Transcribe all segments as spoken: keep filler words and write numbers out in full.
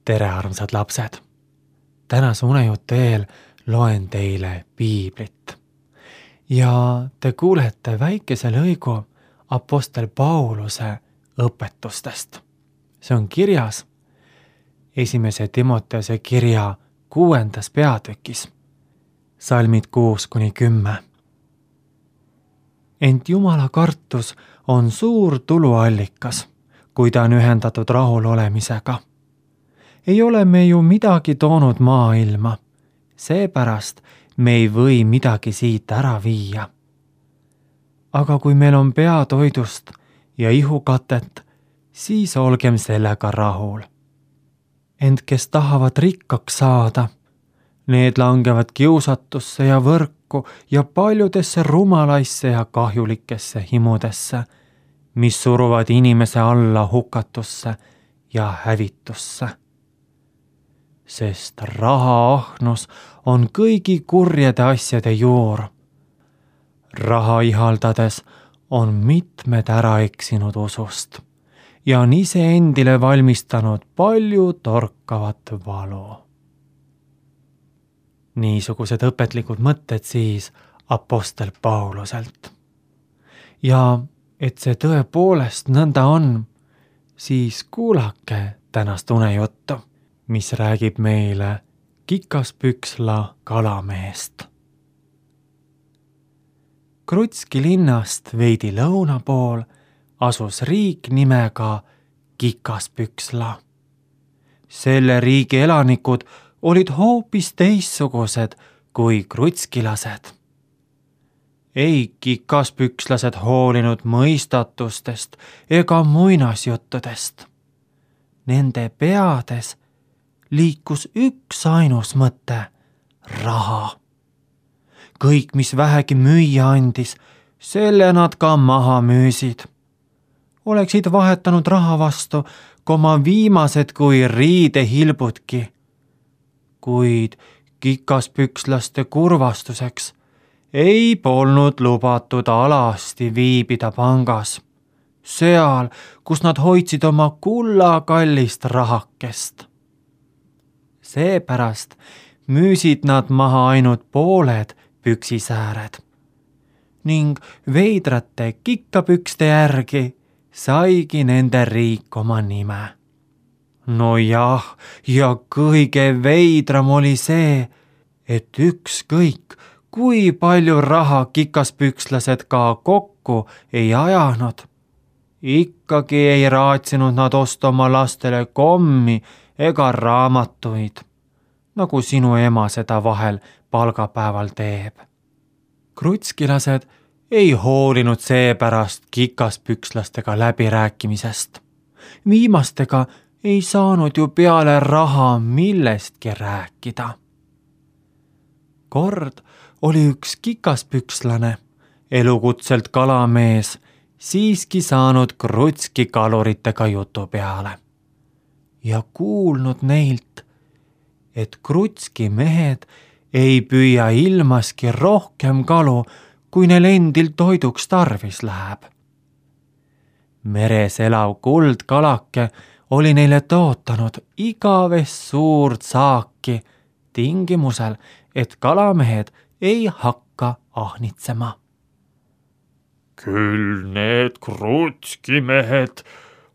Tere, armsad lapsed! Tänase unejutu eel loen teile piiblit. Ja te kuulete väikese lõigu apostel Pauluse õpetustest. See on kirjas esimese Timoteuse kirja kuuendas peatükis, salmid kuus kuni kümme. Ent Jumala kartus on suur tuluallikas, kui ta on ühendatud rahul olemisega. Ei ole me ju midagi toonud maailma, seepärast me ei või midagi siit ära viia. Aga kui meil on peatoidust ja ihukatet, siis olgem sellega rahul. Ent kes tahavad rikkaks saada, need langevad kiusatusse ja võrku ja paljudesse rumalaisse ja kahjulikesse himudesse, mis suruvad inimese alla hukatusse ja hävitusse. Sest rahaahnus on kõigi kurjade asjade juur. Raha ihaldades on mitmed ära eksinud usust ja on ise endile valmistanud palju torkavat valu. Niisugused õpetlikud mõtted siis apostel Pauluselt. Ja et see tõepoolest nõnda on, siis kuulake tänast unejuttu, mis räägib meile Kikaspüksla kalamehest. Krutski linnast veidi lõuna pool asus riik nimega Kikaspüksla. Selle riigi elanikud olid hoopis teissugused kui krutskilased. Ei kikaspükslased hoolinud mõistatustest ega muinasjuttudest. Nende peades liikus üks ainus mõte, raha. Kõik, mis vähegi müüa andis, selle nad ka maha müüsid. Oleksid vahetanud raha vastu koma viimased kui riidehilbudki. Kuid kikaspükslaste kurvastuseks ei polnud lubatud alasti viibida pangas, seal, kus nad hoidsid oma kullakallist rahakest. Seepärast müüsid nad maha ainult pooled püksisääred ning veidrate kikkapükste järgi saigi nende riik oma nime. No jah, ja kõige veidram oli see, et ükskõik, kui palju raha kikaspükslased ka kokku ei ajanud, ikkagi ei raatsinud nad osta oma lastele kommi ega raamatuid, nagu sinu ema seda vahel palgapäeval teeb. Krutskilased ei hoolinud seepärast kikaspükslastega läbirääkimisest. Viimastega ei saanud ju peale raha millestki rääkida. Kord oli üks kikaspükslane, elukutselt kalamees, siiski saanud Krutski kaluritega jutu peale ja kuulnud neilt, et Krutski mehed ei püüa ilmaski rohkem kalu, kui neil endil toiduks tarvis läheb. Meres elav kuldkalake oli neile tootanud igavest suurt saaki tingimusel, et kalamehed ei hakka ahnitsema. Küll need Krutski mehed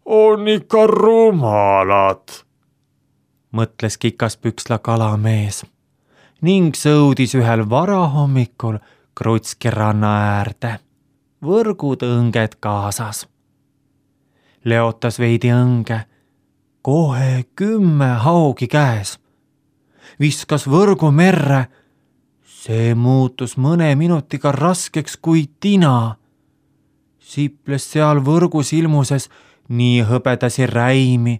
on ikka rumalad, mõtles Kikaspüksla kalamees ning sõudis ühel varahommikul Krutski ranna äärde, võrgud õnged kaasas. Leotas veidi õnge, kohe kümme haugi käes. Viskas võrgu merre, see muutus mõne minutiga raskeks kui tina. Siples seal võrgus ilmuses nii hõbedasi räimi,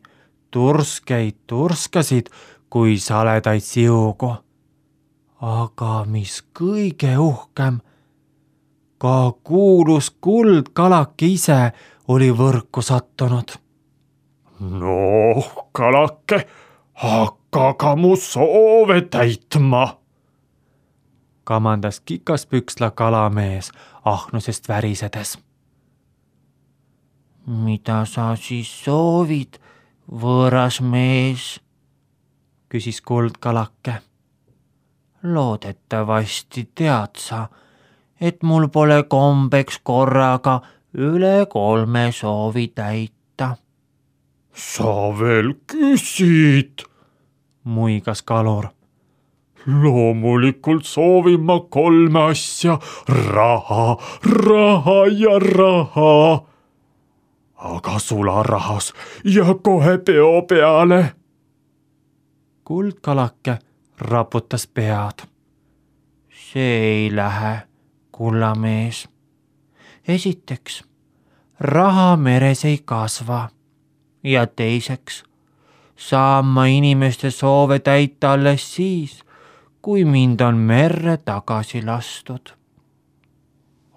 turskeid turskasid kui saledaid siugu. Aga mis kõige uhkem, ka kuulus kuldkalake ise oli võrku sattunud. No, kalake, hakka ka mu soove täitma, kamandas Kikaspüksla kalamees ahnusest värisedes. Mida sa siis soovid, võõras mees, küsis kuldkalake. Loodetavasti tead sa, et mul pole kombeks korraga üle kolme soovi täita. Sa veel küsid? Muigas kalur. Loomulikult soovin ma kolme asja, raha, raha ja raha. Aga sularahas ja kohe peo peale. Kuldkalake raputas pead. See ei lähe, kullamees. Esiteks, raha meres ei kasva. Ja teiseks, saan ma inimeste soove täita alles siis, kui mind on merre tagasi lastud.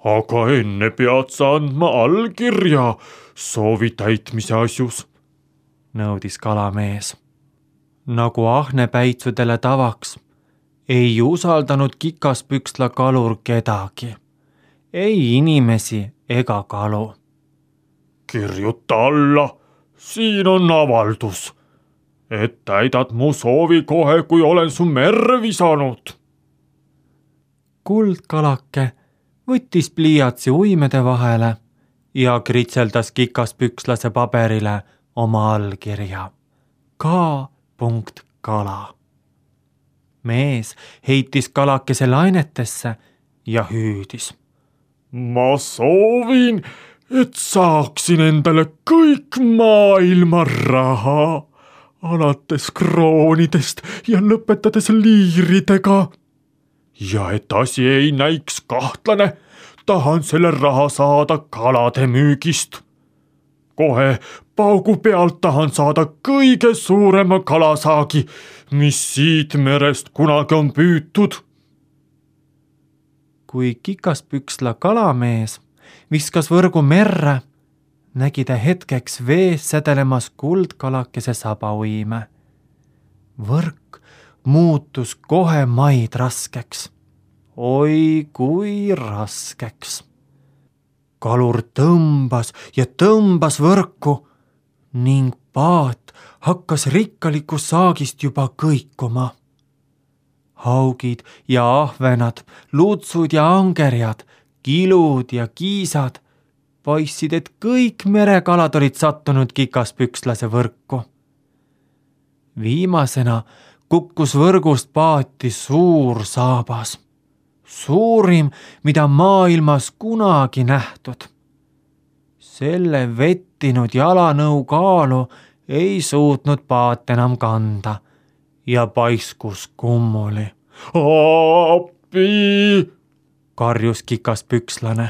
Aga enne pead sa andma allkirja soovi täitmise asjus, nõudis kalamees. Nagu ahnepäitsudele tavaks, ei usaldanud Kikaspüksla kalur kedagi, ei inimesi ega kalu. Kirjuta alla, siin on avaldus, et täidad mu soovi kohe, kui olen su merre visanud. Kuldkalake võttis pliiatsi uimede vahele ja kritseldas Kikaspükslase paberile oma allkirja. K. kala. Mees heitis kalakese lainetesse ja hüüdis. Ma soovin, et saaksin endale kõik maailma raha, alates kroonidest ja lõpetades liiridega. Ja et asi ei näiks kahtlane, tahan selle raha saada kalade müügist. Kohe paugu pealt tahan saada kõige suurema kalasaagi, mis siit merest kunagi on püütud. Kui Kikaspüksla kalamees viskas võrgu merre, nägi ta hetkeks vees sädelemas kuldkalakese sabauime. Võrk muutus kohe maid raskeks. Oi kui raskeks. Kalur tõmbas ja tõmbas võrku ning paat hakkas rikkalikust saagist juba kõikuma. Haugid ja ahvenad, lutsud ja angerjad, kilud ja kiisad paistsid, et kõik merekalad olid sattunud Kikaspükslase võrku. Viimasena kukkus võrgust paati suur saabas. Suurim, mida maailmas kunagi nähtud. Selle vettinud jalanõu kaalu ei suutnud paat enam kanda ja paiskus kummuli. Appi! Karjus Kikaspükslane,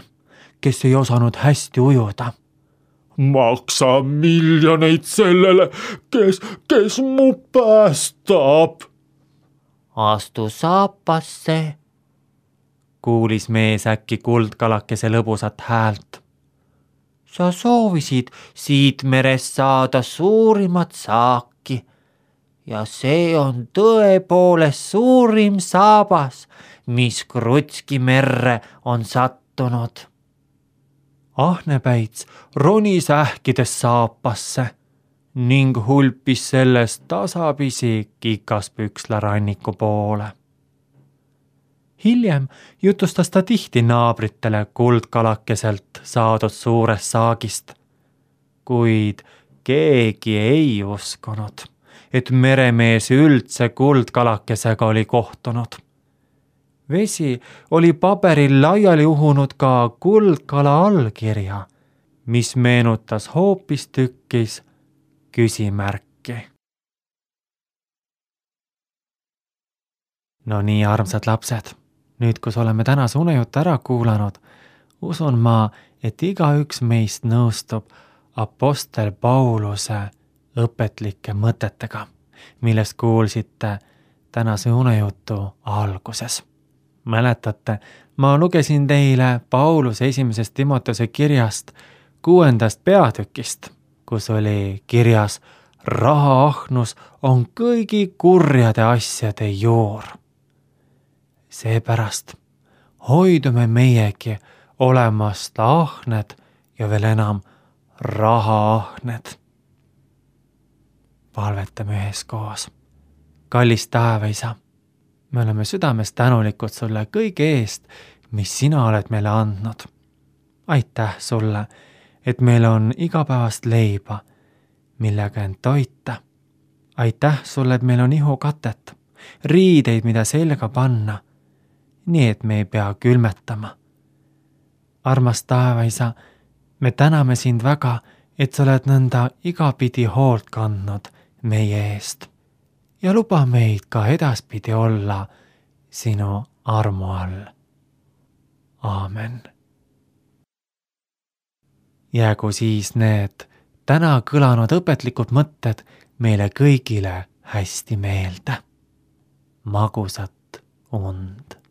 kes ei osanud hästi ujuda. Maksa miljoneid sellele, kes, kes mu päästab. Astu saapasse, kuulis mees äkki kuldkalakese lõbusat häält. Sa soovisid siit merest saada suurimat saaki ja see on tõepoolest suurim saabas, mis Krutski merre on sattunud. Ahnepäits ronis ähkides saapasse ning hulpis sellest tasapisi Kikaspüksla ranniku poole. Hiljem jutustas ta tihti naabritele kuldkalakeselt saadud suurest saagist, kuid keegi ei uskunud, et meremees üldse kuldkalakesega oli kohtunud. Vesi oli paberil laiali uhunud ka kuldkala allkirja, mis meenutas hoopistükkis küsimärki. No nii, armsad lapsed, nüüd kus oleme tänase unejutu ära kuulanud, usun ma, et igaüks meist nõustub apostel Pauluse õpetlike mõtetega, millest kuulsite tänase unejutu alguses. Mäletate, ma lugesin teile Pauluse esimesest Timoteuse kirjast kuuendast peatükist, kus oli kirjas rahaahnus on kõigi kurjade asjade juur. Seepärast hoidume meiegi olemast ahned ja veel enam rahaahned. Palvetame üheskoos. kallis taevaisa, me oleme südames tänulikud sulle kõige eest, mis sina oled meile andnud. Aitäh sulle, et meil on igapäevast leiba, millega end toita. Aitäh sulle, et meil on ihukatet, riideid, mida selga panna, nii et me ei pea külmetama. Armas taevaisa, me täname sind väga, et sa oled nõnda igapidi hoolt kandnud meie eest ja luba meid ka edaspidi olla sinu armu all. Aamen. Jäägu siis need täna kõlanud õpetlikud mõtted meile kõigile hästi meelde. Magusat und.